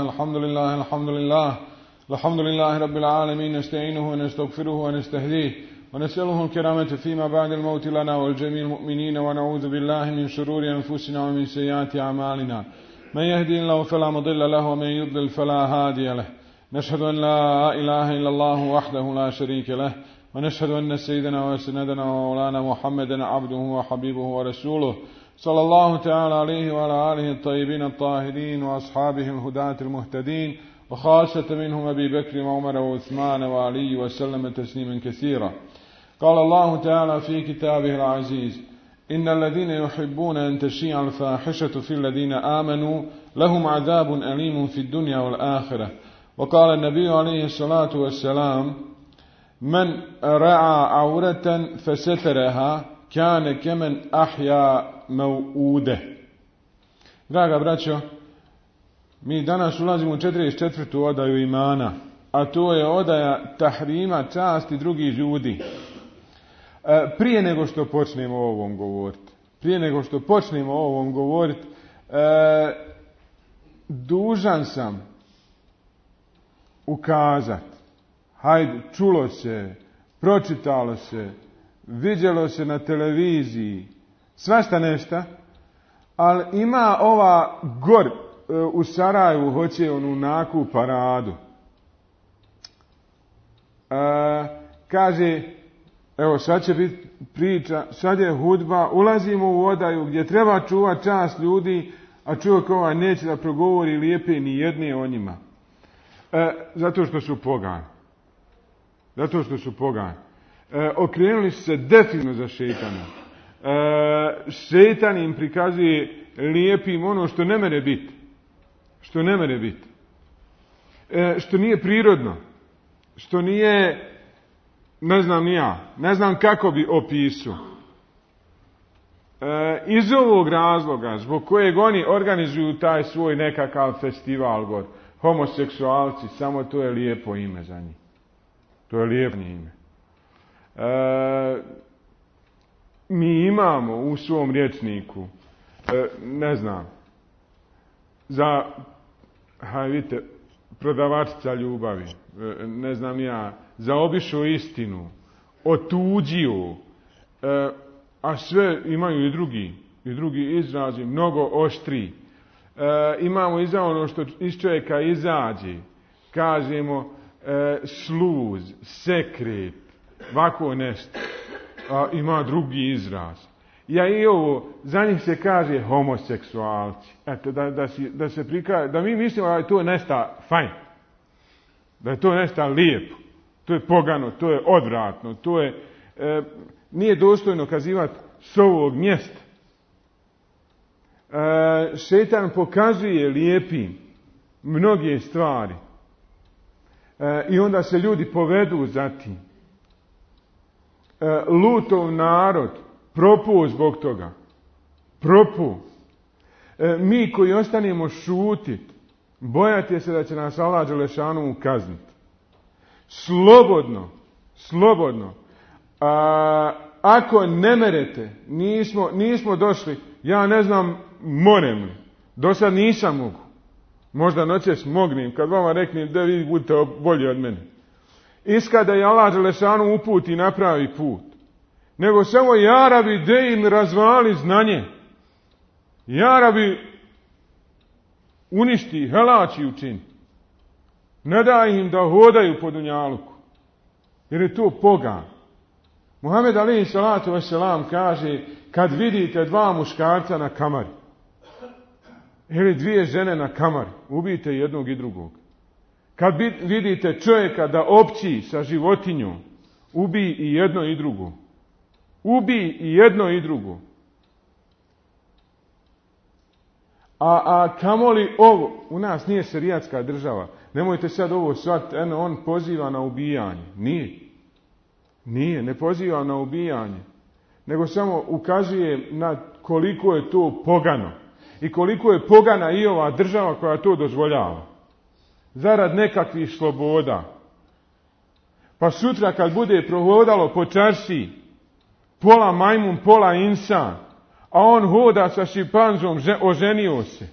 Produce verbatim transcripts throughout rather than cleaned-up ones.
الحمد لله الحمد لله الحمد لله رب العالمين نستعينه ونستغفره ونستهديه ونسأله الكرامة فيما بعد الموت لنا والجميع المؤمنين ونعوذ بالله من شرور أنفسنا ومن سيئات أعمالنا من يهدي الله فلا مضل له ومن يضلل فلا هادي له نشهد أن لا إله إلا الله وحده لا شريك له ونشهد أن سيدنا وسندنا ومولانا محمدا عبده وحبيبه ورسوله صلى الله تعالى عليه وعلى آله الطيبين الطاهرين وأصحابه الهداة المهتدين وخاصة منهم أبي بكر وعمر وعثمان وعلي وسلم تسليما كثيرا. قال الله تعالى في كتابه العزيز: إن الذين يحبون أن تشيع الفاحشة في الذين آمنوا لهم عذاب أليم في الدنيا والآخرة. وقال النبي عليه الصلاة والسلام: من رعى عورة فسترها كان كمن أحيا موؤوده. Draga braćo, mi danas ulazimo u četrdeset četvrtu odaju imana, a to je odaja tahrima časti drugih ljudi. E, prije nego što počnemo o ovom govoriti, prije nego što počnemo o ovom govoriti, e, dužan sam ukazati, hajde, čulo se, pročitalo se, vidjelo se na televiziji, svašta nešto, ali ima ova gor u Sarajevu, hoće onu naku paradu. E, kaže, evo sad će biti priča, sad je hudba, ulazimo u odaju gdje treba čuvati čast ljudi, a čovjek ovaj neće da progovori lijepe ni jedne o njima. E, zato što su pogani. Zato što su pogani. E, okrenuli su se definitivno za šejtana. E, šejtan im prikazuje lijepim ono što ne mere biti. Što ne mere biti. E, što nije prirodno. Što nije, ne znam ni ja, ne znam kako bi opisao. E, iz ovog razloga, zbog kojeg oni organizuju taj svoj nekakav festival, gor, homoseksualci, samo to je lijepo ime za njih. To je lijepo ime. E, mi imamo u svom rječniku, e, ne znam, za, haj vidite, prodavačica ljubavi, e, ne znam ja, zaobišao istinu, otuđio, e, a sve imaju i drugi, i drugi izrazi, mnogo oštri. E, imamo i za ono što iz čovjeka izađe, kažemo e, sluz, sekret, ovako nešto, a ima drugi izraz. Ja i ovo, za njih se kaže homoseksualci. Eto, da, da, si, da se prikaže, da mi mislimo da je to nesta fajn, da je to nesta lijepo, to je pogano, to je odvratno, to je, e, nije dostojno kazivati s ovog mjesta. E, šejtan pokazuje lijepim mnoge stvari e, i onda se ljudi povedu za tim. E, Lutov narod propuo zbog toga. Propuo. E, mi koji ostanemo šutiti, bojati se da će nas Allah dželešanu kazniti. Slobodno, slobodno. A, ako ne merete, nismo, nismo došli, ja ne znam, monem li. Do sad nisam mogu. Možda noćas mognem, kad vama reknem da vi budete bolji od mene. Iskada je Allah dželešanu uputi i napravi put. Nego samo jarabi de im razvali znanje. Jarabi uništi, helači učini. Ne daj im da hodaju po dunjaluku. Jer je to pogan. Muhammed alejhi salatu vesselam kaže, kad vidite dva muškarca na kamari, ili dvije žene na kamari, ubijte jednog i drugog. Kad vidite čovjeka da opći sa životinjom, ubij i jedno i drugo. Ubij i jedno i drugo. A, a kamoli ovo, u nas nije šerijatska država. Nemojte sad ovo shvatiti, eno on poziva na ubijanje. Nije. Nije, ne poziva na ubijanje, nego samo ukazuje na koliko je to pogano i koliko je pogana i ova država koja to dozvoljava. Zarad nekakvih sloboda. Pa sutra kad bude prohodalo po čaršiji pola majmun, pola insan, a on hoda sa šimpanzom, oženio se.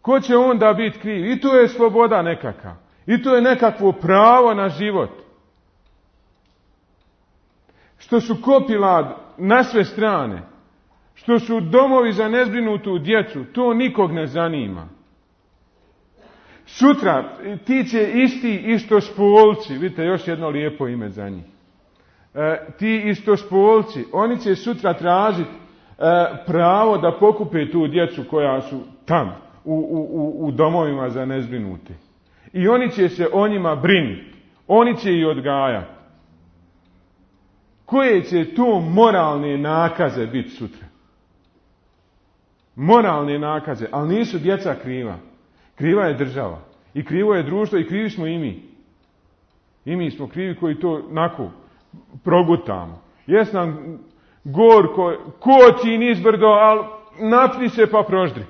Ko će onda biti kriv? I to je sloboda nekakav. I to je nekakvo pravo na život. Što su kopila na sve strane, što su domovi za nezbrinutu djecu, to nikog ne zanima. Sutra ti će isti istospolci, vidite još jedno lijepo ime za njih, e, ti istospolci, oni će sutra tražiti e, pravo da pokupe tu djecu koja su tam, u, u, u domovima za nezbrinute. I oni će se o njima brinuti, oni će ih odgajati. Koje će to moralne nakaze biti sutra? Moralne nakaze, ali nisu djeca kriva. Kriva je država. I krivo je društvo i krivi smo i mi. I mi smo krivi koji to nako progutamo. Jes nam gorko, koči nizbrdo, ali napni se pa proždri.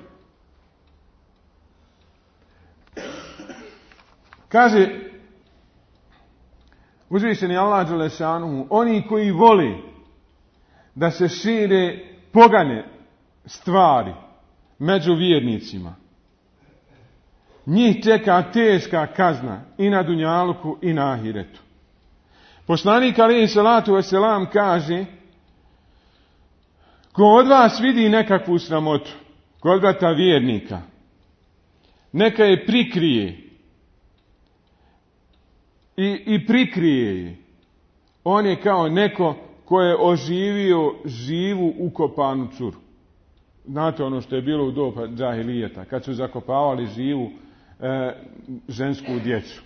Kaže uzvišeni Allah dželešanuhu, oni koji vole da se šire pogane stvari među vjernicima, njih čeka teška kazna i na dunjaluku i na ahiretu. Poslanik alejhi salatu vesselam kaže, ko od vas vidi nekakvu sramotu kod brata vjernika, neka je prikrije i, i prikrije je. On je kao neko ko je oživio živu ukopanu curu. Znate ono što je bilo u doba džahilijeta, kad su zakopavali živu e, žensku djecu.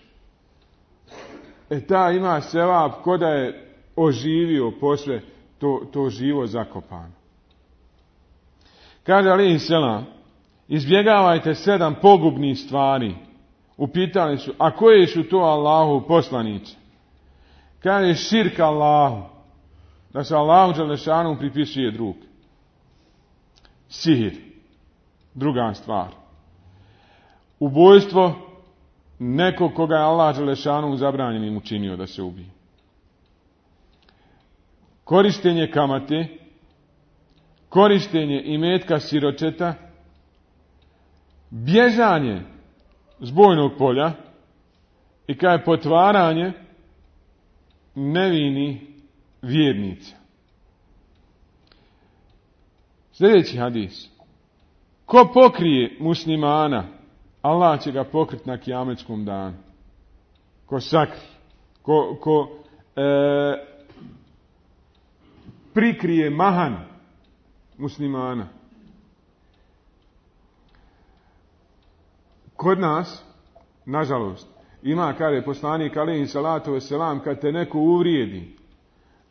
E ta ima sevap ko da je oživio posle to, to živo zakopano. Kaže alejhi selam, izbjegavajte sedam pogubnih stvari. Upitali su, a koje su to Allahu poslanice? Kaže širk Allahu, da se Allahu dželešanu pripisuje drug. Sihir, druga stvar. Ubojstvo nekog koga je Allah dželešanu zabranjenim učinio da se ubije. Korištenje kamate, korištenje imetka siročeta, bježanje s bojnog polja i kao je potvaranje nevini vjernica. Sljedeći hadis. Ko pokrije muslimana, Allah će ga pokriti na kijametskom danu. Ko sakri, ko, ko e, prikrije mahan muslimana. Kod nas, nažalost, ima, kaže poslanik alejhi salatu vesselam, kad te neko uvrijedi,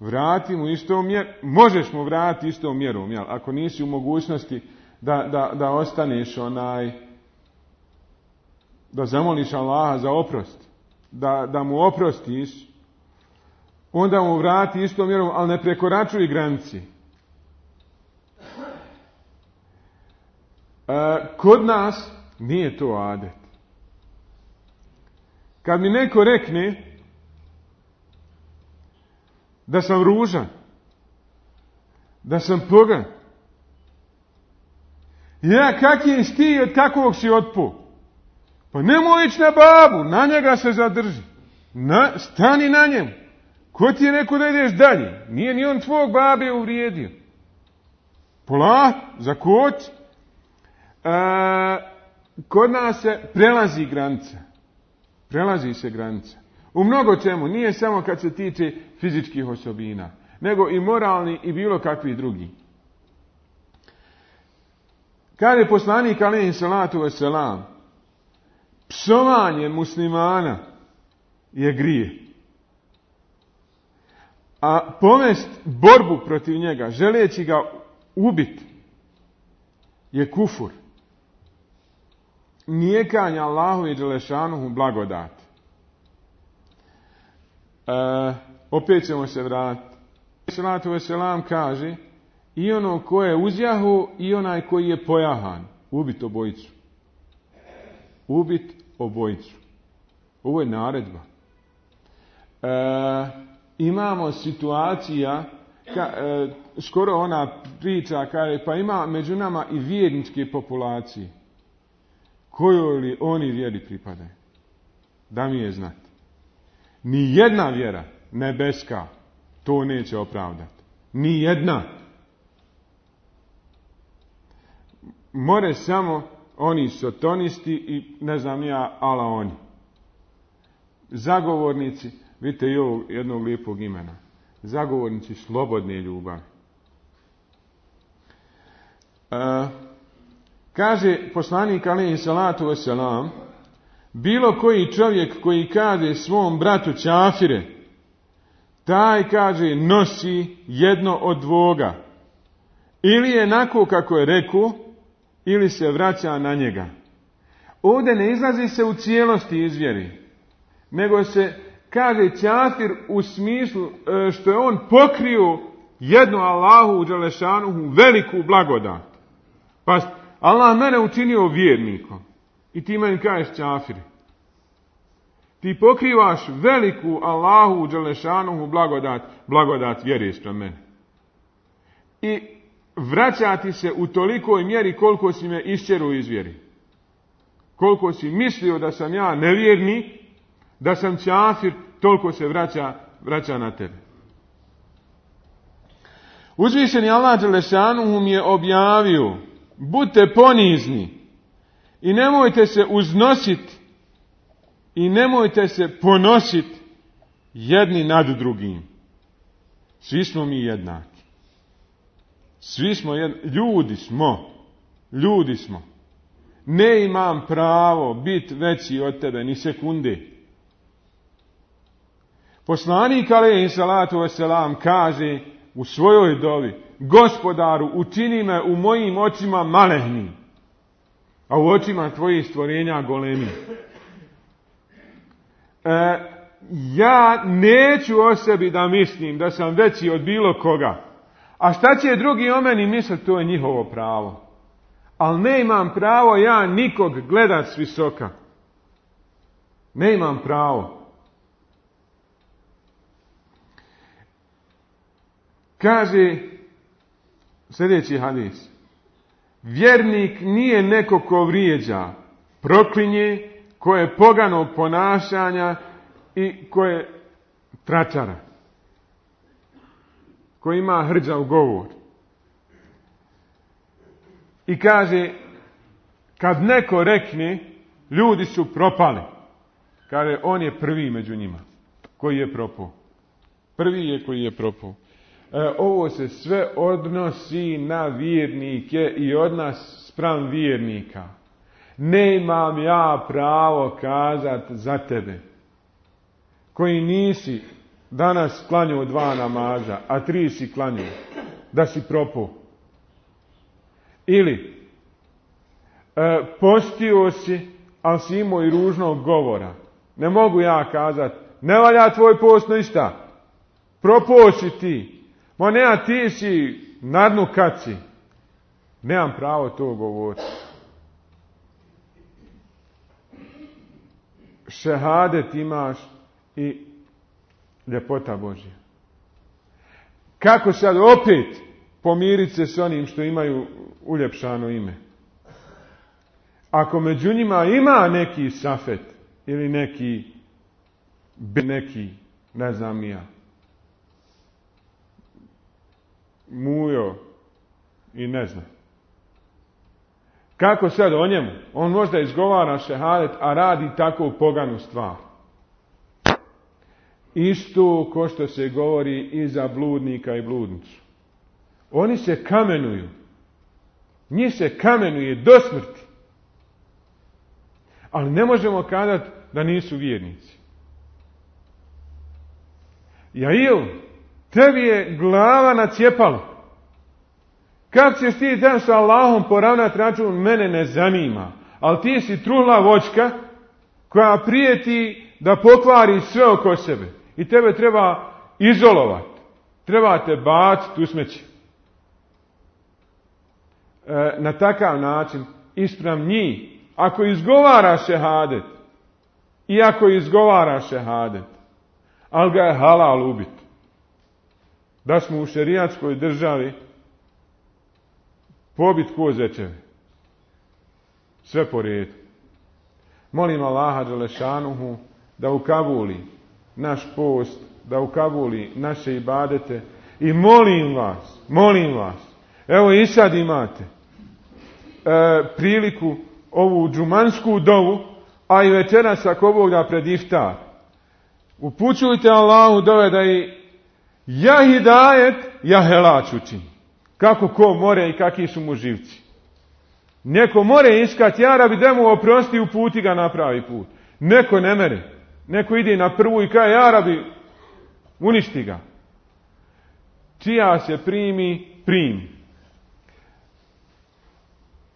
vrati mu istom mjerom, možeš mu vratiti istom mjerom, jel? Ako nisi u mogućnosti da, da, da ostaneš onaj, da zamoliš Allaha za oprost, da, da mu oprostiš, onda mu vrati istom mjerom, ali ne prekoračuj granici. E, kod nas nije to adet. Kad mi neko rekne da sam ružan, da sam pogan, ja kak je ti od kakvog si otpo? Pa nemoj ići na babu, na njega se zadrži. Na, stani na njemu. Ko ti je rekao da ideš dalje? Nije ni on tvog babe uvrijedio. Pola, zakoči. E, kod nas se prelazi granica. Prelazi se granica. U mnogo čemu, nije samo kad se tiče fizičkih osobina, nego i moralni i bilo kakvi drugi. Kaže poslanik alejhi salatu vesselam, psovanje muslimana je grije. A pomest borbu protiv njega, želeći ga ubiti, je kufur. Nijekanje Allahu i dželešanuhu blagodati. E, opet ćemo se vratiti. Salatu veselam kaže i ono ko je uzjahu i onaj koji je pojahan. Ubit obojicu. Ubit obojicu. Ovo je naredba. E, imamo situacija, ka, e, skoro ona priča kaže, pa ima među nama i vjerničke populacije. Kojoj li oni vjeri pripadaju? Da mi je znati. Ni jedna vjera nebeska to neće opravdati. Ni jedna. More samo oni sotonisti i ne znam ja, ala oni. Zagovornici, vidite i ovog jednog lijepog imena. Zagovornici slobodne ljubavi. E, kaže poslanik alejhi salatu vesselam, bilo koji čovjek koji kaže svom bratu ćafire, taj, kaže, nosi jedno od dvoga. Ili je onako kako je rekao, ili se vraća na njega. Ovdje ne izlazi se u cijelosti iz vjeri, nego se kaže ćafir u smislu što je on pokrio jednu Allahu dželešanuhu veliku blagodat. Pa Allah mene učinio vjernikom i ti meni kažeš ćafir. Ti pokrivaš veliku Allahu dželešanuhu blagodat, blagodat vjere spram mene. I vraćati se u tolikoj mjeri koliko si me iščeruo iz vjeri. Koliko si mislio da sam ja nevjernik, da sam ćafir, toliko se vraća, vraća na tebe. Uzvišeni Allah dželešanuhu mi je objavio, budite ponizni i nemojte se uznositi i nemojte se ponositi jedni nad drugim. Svi smo mi jednaki. Svi smo jednaki. Ljudi smo. Ljudi smo. Ne imam pravo biti veći od tebe ni sekunde. Poslanik alejhi salatu vesselam kaže u svojoj dovi, Gospodaru, učini me u mojim očima malehnim, a u očima tvojih stvorenja golemim. E, ja neću o sebi da mislim da sam veći od bilo koga. A šta će drugi o meni misliti, to je njihovo pravo. Ali ne imam pravo ja nikog gledat s visoka. Ne imam pravo. Kaže sljedeći hadis. Vjernik nije neko ko vrijeđa, proklinje, ko je poganog ponašanja i ko je tračara. Ko ima hrđav govor. I kaže, kad neko rekne, ljudi su propali. Kaže, on je prvi među njima. Koji je propao. Prvi je koji je propao. E, ovo se sve odnosi na vjernike i od nas spram vjernika. Ne imam ja pravo kazat za tebe, koji nisi danas klanjao dva namaza, a tri si klanjao, da si propao. Ili e, postio si, ali si imao i ružnog govora. Ne mogu ja kazat, ne valja tvoj post ništa. Propao si ti. Ma ne, a ti si na dnu kaci. Nemam pravo to govoriti. Šehadet imaš i ljepota Božja. Kako sad opet pomiriti se s onim što imaju uljepšano ime? Ako među njima ima neki safet ili neki neki, ne znam ja, mujo i ne znam. Kako sad o njemu? On možda izgovara šehadet, a radi takvu poganu stvar. Isto ko što se govori i za bludnika i bludnicu. Oni se kamenuju. Njih se kamenuje do smrti. Ali ne možemo kazati da nisu vjernici. Jail, tebi je glava na cjepalu. Kako ćeš ti tam sa Allahom poravnati račun, mene ne zanima. Ali ti si truhla voćka koja prijeti da pokvari sve oko sebe. I tebe treba izolovati. Trebate baciti u smeće. E, na takav način, ispram njih, ako izgovara šehadet, i ako izgovara šehadet, ali ga je halal ubiti, da smo u šerijatskoj državi pobit kozečeve. Sve po redu. Molim Allaha dželešanuhu da ukabuli naš post, da ukabuli naše ibadete i molim vas, molim vas, evo i sad imate e, priliku ovu džumansku dovu, a i večeras ako Bog da pred iftar. Upućujte Allahu dove da i ja hidajet, ja helač učini. Kako ko more i kakvi su mu živci. Neko more iskati, ja rabi da mu oprosti u puti ga napravi put. Neko ne mere. Neko ide na prvu i kaže, ja rabi, uništi ga. Čija se primi, primi.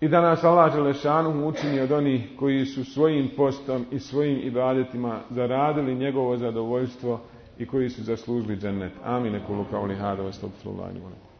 I da nas Allah dželešanuhu učini od onih koji su svojim postom i svojim ibadetima zaradili njegovo zadovoljstvo i koji su zaslužili džennet. Amin. Ekulu kauli hada, astagfirullahi wa lakum.